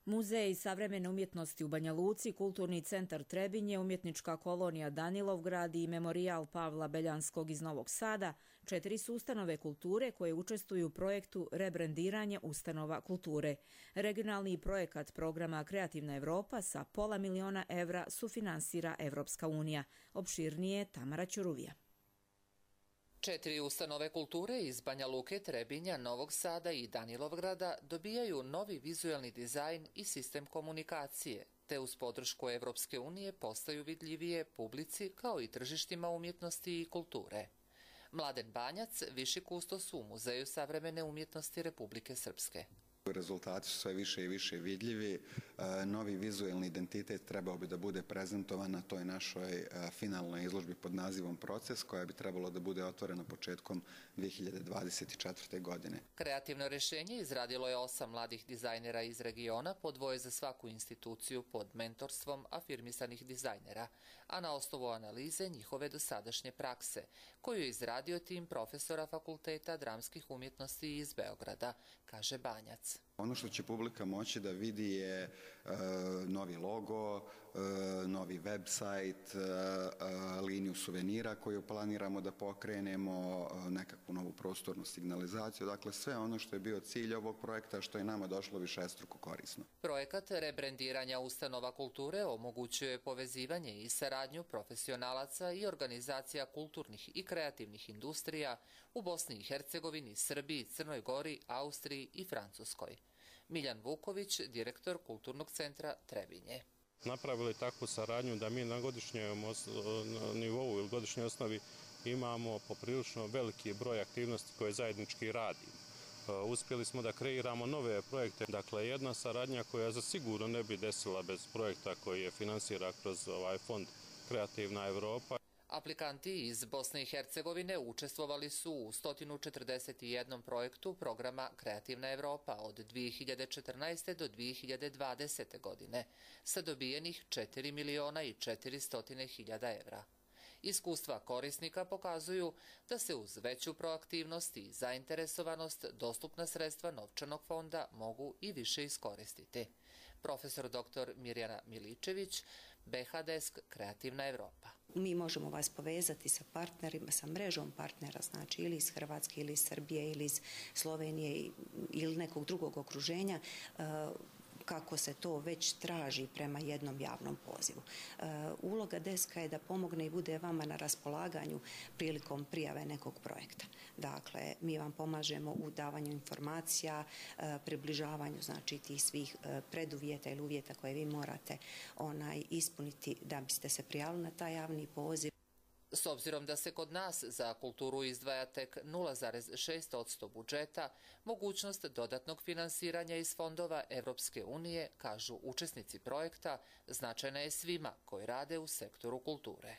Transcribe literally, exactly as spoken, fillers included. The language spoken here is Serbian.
Muzej savremene umjetnosti u Banja Luci, Kulturni centar Trebinje, Umjetnička kolonija Danilovgrad i Memorijal Pavla Beljanskog iz Novog Sada, četiri su ustanove kulture koje učestvuju u projektu rebrendiranje ustanova kulture. Regionalni projekat programa Kreativna Evropa sa pola miliona evra sufinansira Evropska unija. Opširnije Tamara Ćuruvija. Četiri ustanove kulture iz Banja Luke, Trebinja, Novog Sada i Danilovgrada dobijaju novi vizuelni dizajn i sistem komunikacije, te uz podršku Evropske unije postaju vidljivije publici kao i tržištima umjetnosti i kulture. Mladen Banjac, viši kustos u Muzeju savremene umjetnosti Republike Srpske. Rezultati su sve više i više vidljivi. Novi vizuelni identitet trebao bi da bude prezentovan na toj našoj finalnoj izložbi pod nazivom Proces, koja bi trebalo da bude otvorena početkom dve hiljade dvadeset četvrte. godine. Kreativno rješenje izradilo je osam mladih dizajnera iz regiona, po dvoje za svaku instituciju pod mentorstvom afirmisanih dizajnera, a na osnovu analize njihove dosadašnje prakse, koju je izradio tim profesora Fakulteta dramskih umjetnosti iz Beograda, kaže Banjac. Ono što će publika moći da vidi je e, novi logo, e, novi website, e, liniju suvenira koju planiramo da pokrenemo, e, nekakvu novu prostornu signalizaciju, dakle sve ono što je bio cilj ovog projekta, što je nama došlo višestruko korisno. Projekat rebrendiranja ustanova kulture omogućuje povezivanje i saradnju profesionalaca i organizacija kulturnih i kreativnih industrija u Bosni i Hercegovini, Srbiji, Crnoj Gori, Austriji i Francuskoj. Miljan Vuković, direktor Kulturnog centra Trebinje. Napravili takvu saradnju da mi na godišnjem nivou ili godišnjoj osnovi imamo poprilično veliki broj aktivnosti koje zajednički radimo. Uspjeli smo da kreiramo nove projekte, dakle jedna saradnja koja za sigurno ne bi desila bez projekta koji je finansira kroz ovaj fond Kreativna Evropa. Aplikanti iz Bosne i Hercegovine učestvovali su u sto četrdeset jedan projektu programa Kreativna Evropa od dve hiljade četrnaeste. do dve hiljade dvadesete. godine sa dobijenih četiri miliona i četiristo hiljada evra. Iskustva korisnika pokazuju da se uz veću proaktivnost i zainteresovanost dostupna sredstva novčanog fonda mogu i više iskoristiti. Profesor doktor Mirjana Miličević, B H Desk Kreativna Evropa. Mi možemo vas povezati sa partnerima, sa mrežom partnera, znači ili iz Hrvatske, ili iz Srbije, ili iz Slovenije, ili nekog drugog okruženja, kako se to već traži prema jednom javnom pozivu. Uloga deska je da pomogne i bude vama na raspolaganju prilikom prijave nekog projekta. Dakle, mi vam pomažemo u davanju informacija, približavanju znači tih svih preduvjeta ili uvjeta koje vi morate onaj ispuniti da biste se prijavili na taj javni poziv. S obzirom da se kod nas za kulturu izdvaja tek nula zarez šest posto budžeta, mogućnost dodatnog finansiranja iz fondova Evropske unije, kažu učesnici projekta, značajna je svima koji rade u sektoru kulture.